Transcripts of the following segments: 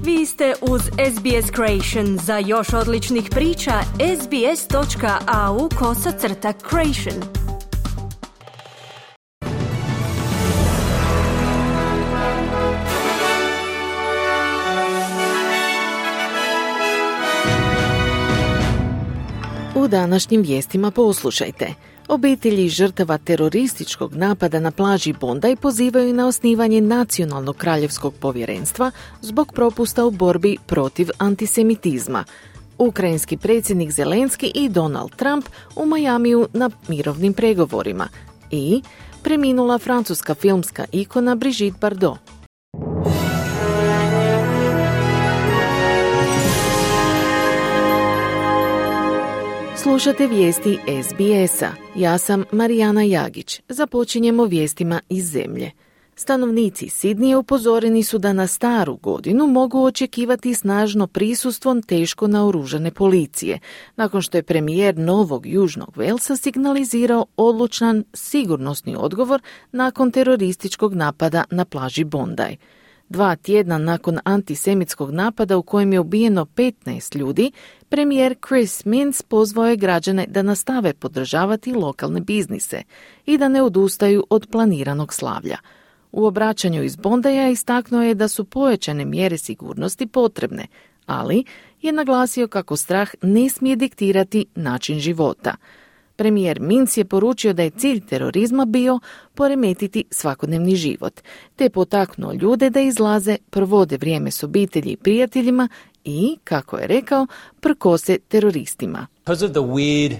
Vi ste uz SBS Creation. Za još odličnih priča, sbs.au/creation. U današnjim vijestima poslušajte. Obitelji žrtava terorističkog napada na plaži Bondi pozivaju na osnivanje Nacionalnog kraljevskog povjerenstva zbog propusta u borbi protiv antisemitizma. Ukrajinski predsjednik Zelenski i Donald Trump u Majamiju na mirovnim pregovorima. I preminula francuska filmska ikona Brigitte Bardot. Slušate vijesti SBS-a. Ja sam Marijana Jagić. Započinjemo vijestima iz zemlje. Stanovnici Sidnija upozoreni su da na staru godinu mogu očekivati snažno prisustvo teško naoružane policije, nakon što je premijer Novog Južnog Velsa signalizirao odlučan sigurnosni odgovor nakon terorističkog napada na plaži Bondi. 2 tjedna nakon antisemitskog napada u kojem je ubijeno 15 ljudi, premijer Chris Minns pozvao je građane da nastave podržavati lokalne biznise i da ne odustaju od planiranog slavlja. U obraćanju iz Bondija istaknuo je da su pojačane mjere sigurnosti potrebne, ali je naglasio kako strah ne smije diktirati način života. Premijer Minns je poručio da je cilj terorizma bio poremetiti svakodnevni život, te potaknuo ljude da izlaze, provode vrijeme s obitelji i prijateljima i, kako je rekao, prkose teroristima. Because of the weird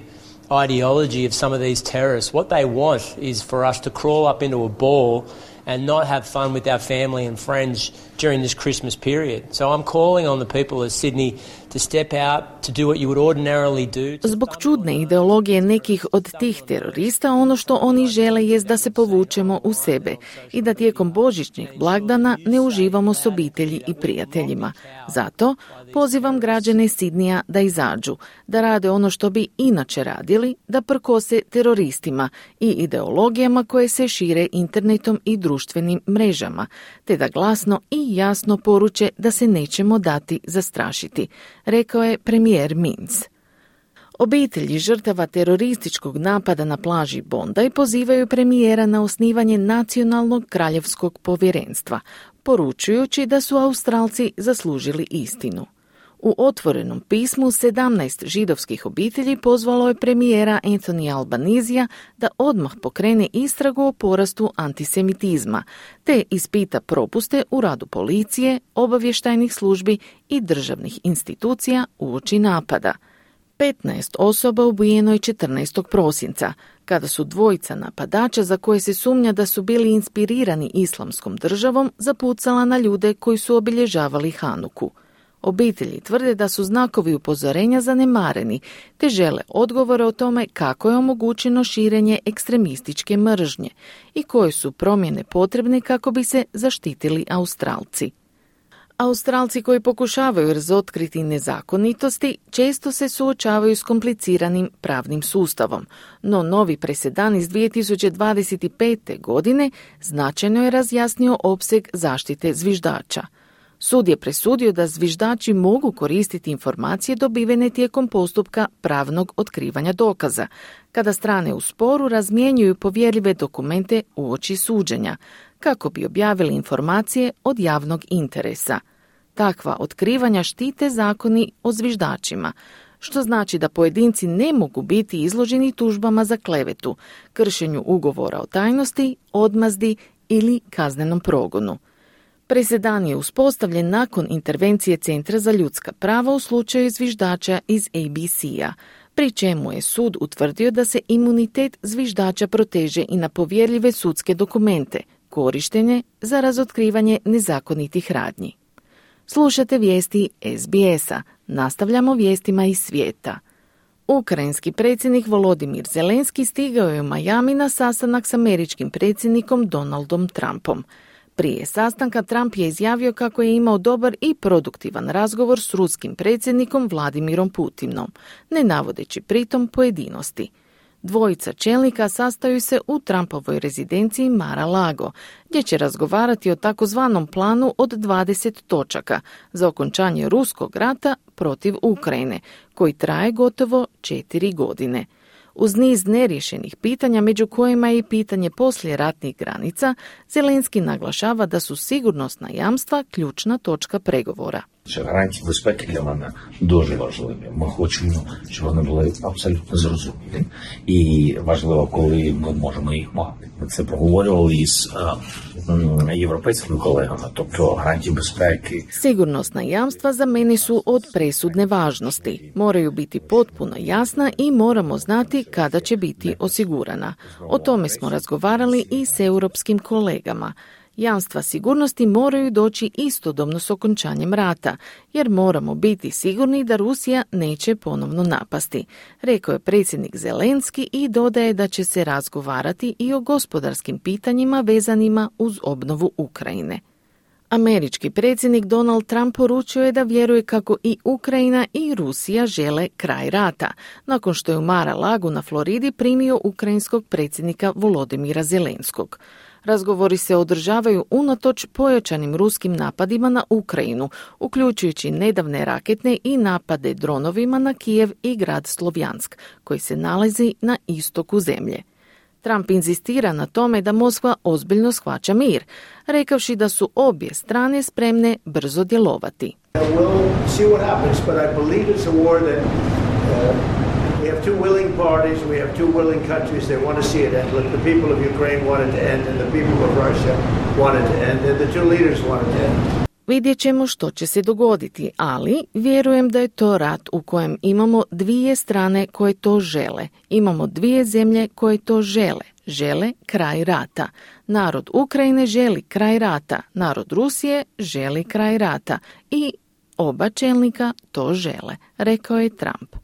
ideology of some of these terrorists, what they want is for us to crawl up into a ball and not have fun with our family and friends during this Christmas period. So I'm calling on the people of Sydney to step out, to do what you would ordinarily do. Zbog čudne ideologije nekih od tih terorista, ono što oni žele jest da se povučemo u sebe i da tijekom božićnih blagdana ne uživamo s obitelji i prijateljima. Zato pozivam građane Sidnija da izađu, da rade ono što bi inače radili, da prkose teroristima i ideologijama koje se šire internetom i društvenim mrežama, te da glasno i jasno poruče da se nećemo dati zastrašiti, rekao je premijer Minns. Obitelji žrtava terorističkog napada na plaži Bondi pozivaju premijera na osnivanje Nacionalnog kraljevskog povjerenstva, poručujući da su Australci zaslužili istinu. U otvorenom pismu 17 židovskih obitelji pozvalo je premijera Anthony Albanisija da odmah pokrene istragu o porastu antisemitizma, te ispita propuste u radu policije, obavještajnih službi i državnih institucija uoči napada. 15 osoba ubijeno je 14. prosinca, kada su dvojica napadača za koje se sumnja da su bili inspirirani islamskom državom zapucala na ljude koji su obilježavali Hanuku. Obitelji tvrde da su znakovi upozorenja zanemareni, te žele odgovore o tome kako je omogućeno širenje ekstremističke mržnje i koje su promjene potrebne kako bi se zaštitili Australci. Australci koji pokušavaju razotkriti nezakonitosti često se suočavaju s kompliciranim pravnim sustavom, no novi presedan iz 2025. godine značajno je razjasnio opseg zaštite zviždača. Sud je presudio da zviždači mogu koristiti informacije dobivene tijekom postupka pravnog otkrivanja dokaza, kada strane u sporu razmjenjuju povjerljive dokumente uoči suđenja, kako bi objavili informacije od javnog interesa. Takva otkrivanja štite zakoni o zviždačima, što znači da pojedinci ne mogu biti izloženi tužbama za klevetu, kršenju ugovora o tajnosti, odmazdi ili kaznenom progonu. Presedan je uspostavljen nakon intervencije Centra za ljudska prava u slučaju zviždača iz ABC-a, pri čemu je sud utvrdio da se imunitet zviždača proteže i na povjerljive sudske dokumente, korištene za razotkrivanje nezakonitih radnji. Slušate vijesti SBS-a. Nastavljamo vijestima iz svijeta. Ukrajinski predsjednik Volodimir Zelenski stigao je u Majami na sastanak s američkim predsjednikom Donaldom Trumpom. Prije sastanka Trump je izjavio kako je imao dobar i produktivan razgovor s ruskim predsjednikom Vladimirom Putinom, ne navodeći pritom pojedinosti. Dvojica čelnika sastaju se u Trumpovoj rezidenciji Mar-a-Lago, gdje će razgovarati o takozvanom planu od 20 točaka za okončanje ruskog rata protiv Ukrajine, koji traje gotovo 4 godine. Uz niz neriješenih pitanja, među kojima je i pitanje poslijeratnih granica, Zelenski naglašava da su sigurnosna jamstva ključna točka pregovora. Гарантії безпеки для мене дуже важливі. Ми хочемо, щоб вони були абсолютно зрозумілі. І важливо, коли ми можемо їх мати. Ми це проговорювали із європейськими колегами, тобто гарантії безпеки. Sigurnosna jamstva za meni su od presudne važnosti. Moraju biti potpuno jasna i moramo znati kada će biti osigurana. O tome smo razgovarali i s europskim kolegama. Jamstva sigurnosti moraju doći istodobno s okončanjem rata, jer moramo biti sigurni da Rusija neće ponovno napasti, rekao je predsjednik Zelenski i dodaje da će se razgovarati i o gospodarskim pitanjima vezanima uz obnovu Ukrajine. Američki predsjednik Donald Trump poručio je da vjeruje kako i Ukrajina i Rusija žele kraj rata, nakon što je u Mar-a-Lagu na Floridi primio ukrajinskog predsjednika Volodimira Zelenskog. Razgovori se održavaju unatoč pojačanim ruskim napadima na Ukrajinu, uključujući nedavne raketne i napade dronovima na Kijev i grad Slovjansk, koji se nalazi na istoku zemlje. Trump inzistira na tome da Moskva ozbiljno shvaća mir, rekavši da su obje strane spremne brzo djelovati. We have two willing parties, we have two willing countries, they want to see it end. Look, the people of Ukraine want it to end and the people of Russia want it to end and the two leaders want it to end. Vidjet ćemo što će se dogoditi, ali vjerujem da je to rat u kojem imamo dvije strane koje to žele. Imamo dvije zemlje koje to žele. Žele kraj rata. Narod Ukrajine želi kraj rata. Narod Rusije želi kraj rata. I oba čelnika to žele, rekao je Trump.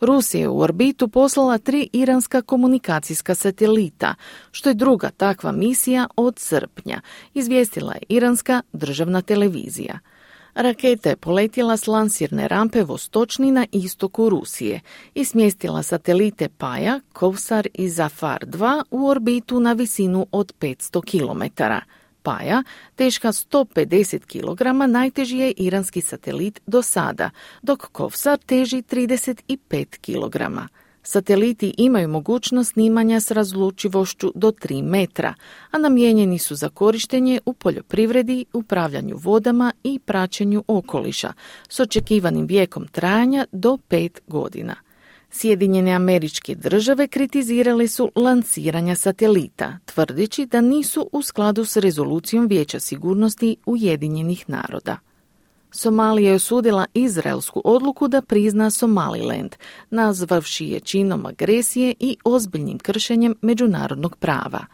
Rusija je u orbitu poslala 3 iranska komunikacijska satelita, što je druga takva misija od srpnja, izvijestila je iranska državna televizija. Raketa je poletjela s lansirne rampe Vostočni na istoku Rusije i smjestila satelite Paja, Kovsar i Zafar 2 u orbitu na visinu od 500 km. Paja, teška 150 kg, najteži je iranski satelit do sada, dok Kovsar teži 35 kg. Sateliti imaju mogućnost snimanja s razlučivošću do 3 metra, a namijenjeni su za korištenje u poljoprivredi, upravljanju vodama i praćenju okoliša, s očekivanim vijekom trajanja do 5 godina. Sjedinjene Američke Države kritizirale su lansiranja satelita, tvrdeći da nisu u skladu s rezolucijom Vijeća sigurnosti Ujedinjenih naroda. Somalija je osudila izraelsku odluku da prizna Somaliland, nazvavši je činom agresije i ozbiljnim kršenjem međunarodnog prava.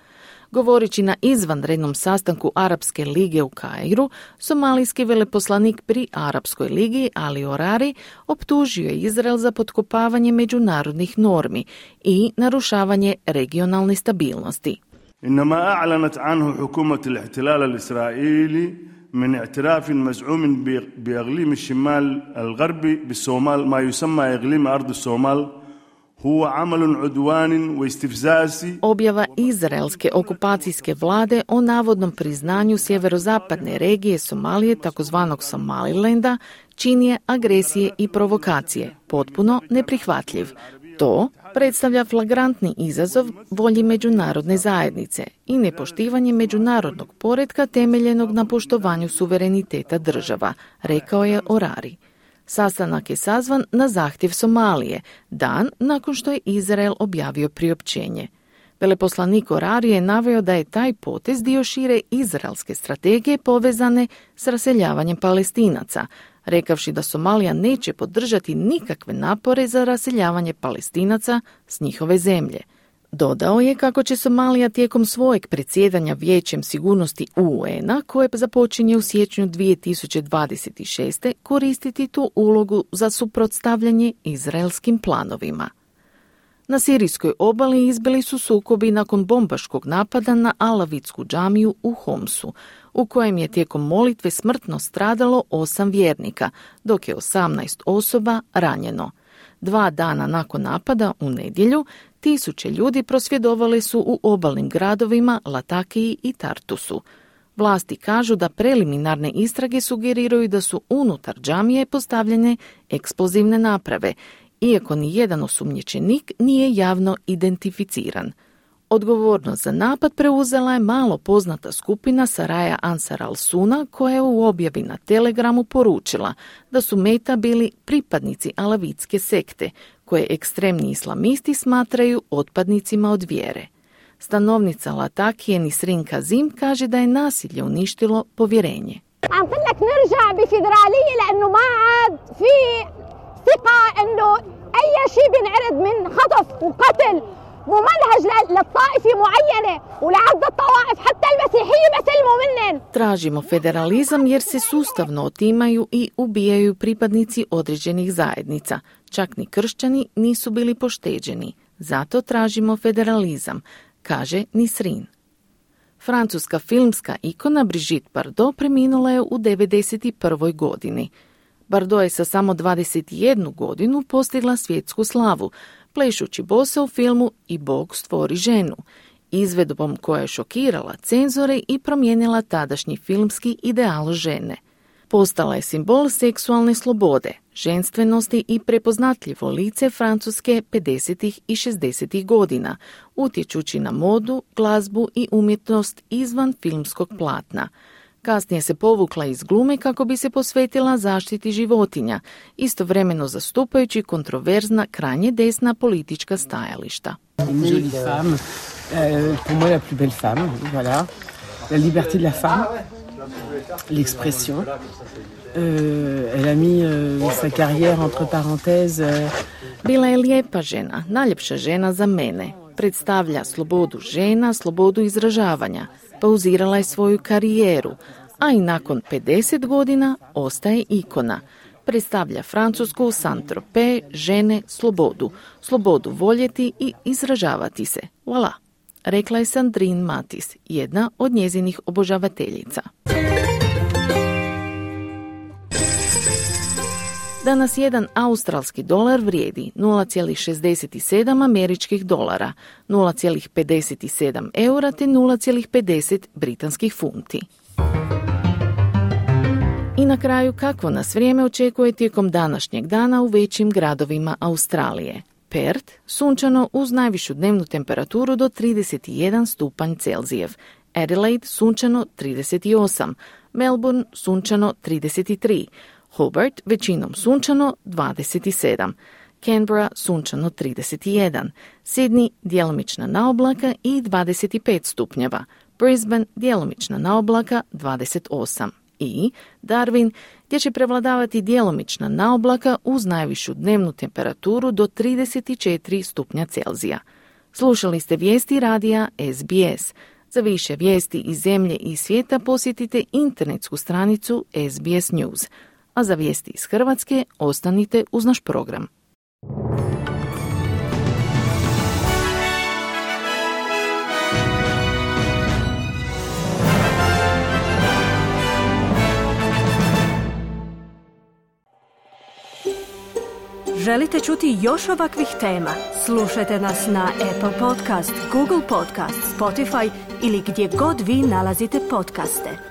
Govoreći na izvanrednom sastanku Arapske lige u Kairu, somalijski veleposlanik pri Arapskoj ligi Ali Orari optužio je Izrael za potkopavanje međunarodnih normi i narušavanje regionalne stabilnosti. إنما أعلنت عنه حكومة الاحتلال الإسرائيلي من اعتراف مزعوم بإقليم الشمال الغربي بالصومال ما يسمى إقليم أرض الصومال هو عمل عدوان واستفزازي. Objava izraelske okupacijske vlade o navodnom priznanju sjeverozapadne regije Somalije, takozvanog Somalilanda, čin je agresije i provokacije, potpuno neprihvatljiv. To predstavlja flagrantni izazov volji međunarodne zajednice i nepoštivanje međunarodnog poretka temeljenog na poštovanju suvereniteta država, rekao je Orari. Sastanak je sazvan na zahtjev Somalije, dan nakon što je Izrael objavio priopćenje. Veleposlanik Orari je naveo da je taj potez dio šire izraelske strategije povezane s raseljavanjem Palestinaca, rekavši da Somalija neće podržati nikakve napore za raseljavanje Palestinaca s njihove zemlje. Dodao je kako će Somalija tijekom svojeg predsjedanja Vijećem sigurnosti UN-a, koje započinje u siječnju 2026. koristiti tu ulogu za suprotstavljanje izraelskim planovima. Na sirijskoj obali izbili su sukobi nakon bombaškog napada na Alavitsku džamiju u Homsu, u kojem je tijekom molitve smrtno stradalo 8 vjernika, dok je 18 osoba ranjeno. 2 dana nakon napada u nedjelju, 1000 ljudi prosvjedovali su u obalnim gradovima Latakiji i Tartusu. Vlasti kažu da preliminarne istrage sugeriraju da su unutar džamije postavljene eksplozivne naprave, iako ni jedan osumnjičenik nije javno identificiran. Odgovornost za napad preuzela je malo poznata skupina Saraja Ansar al-Suna, koja je u objavi na Telegramu poručila da su meta bili pripadnici alavitske sekte, koje ekstremni islamisti smatraju otpadnicima od vjere. Stanovnica Latakije Nisrin Kazim kaže da je nasilje uništilo povjerenje. Tražimo federalizam jer se sustavno otimaju i ubijaju pripadnici određenih zajednica. Čak ni kršćani nisu bili pošteđeni. Zato tražimo federalizam, kaže Nisrin. Francuska filmska ikona Brigitte Bardot preminula je u 91. godini. Bardot je sa samo 21 godinu postigla svjetsku slavu, plešući bosa u filmu I Bog stvori ženu, izvedbom koja je šokirala cenzore i promijenila tadašnji filmski ideal žene. Postala je simbol seksualne slobode, ženstvenosti i prepoznatljivo lice Francuske 50. i 60. godina, utječući na modu, glazbu i umjetnost izvan filmskog platna. Kasnije se povukla iz glume kako bi se posvetila zaštiti životinja, istovremeno zastupajući kontroverzna krajnje desna politička stajališta. Jolie femme, pour moi la plus belle femme, voilà. La liberté de la femme, l'expression. Elle a mis sa carrière entre parenthèses. Bila je lijepa žena, najljepša žena za mene. Predstavlja slobodu žena, slobodu izražavanja. Pauzirala je svoju karijeru, a i nakon 50 godina ostaje ikona. Predstavlja Francusku, Saint-Tropez, žene, slobodu. Slobodu voljeti i izražavati se. Voilà, rekla je Sandrine Matis, jedna od njezinih obožavateljica. Danas jedan australski dolar vrijedi 0,67 američkih dolara, 0,57 eura te 0,50 britanskih funti. I na kraju, kakvo nas vrijeme očekuje tijekom današnjeg dana u većim gradovima Australije. Perth, sunčano uz najvišu dnevnu temperaturu do 31 stupanj Celzijev. Adelaide, sunčano 38. Melbourne, sunčano 33. Hobart, većinom sunčano 27. Canberra, sunčano 31. Sydney, djelomična naoblaka i 25 stupnjeva. Brisbane, djelomična naoblaka 28. I Darwin, gdje će prevladavati djelomična naoblaka uz najvišu dnevnu temperaturu do 34 stupnja Celzija. Slušali ste vijesti radija SBS. Za više vijesti iz zemlje i svijeta posjetite internetsku stranicu SBS News. A za vijesti iz Hrvatske ostanite uz naš program. Želite čuti još ovakvih tema? Slušajte nas na Apple Podcast, Google Podcast, Spotify ili gdje god vi nalazite podcaste.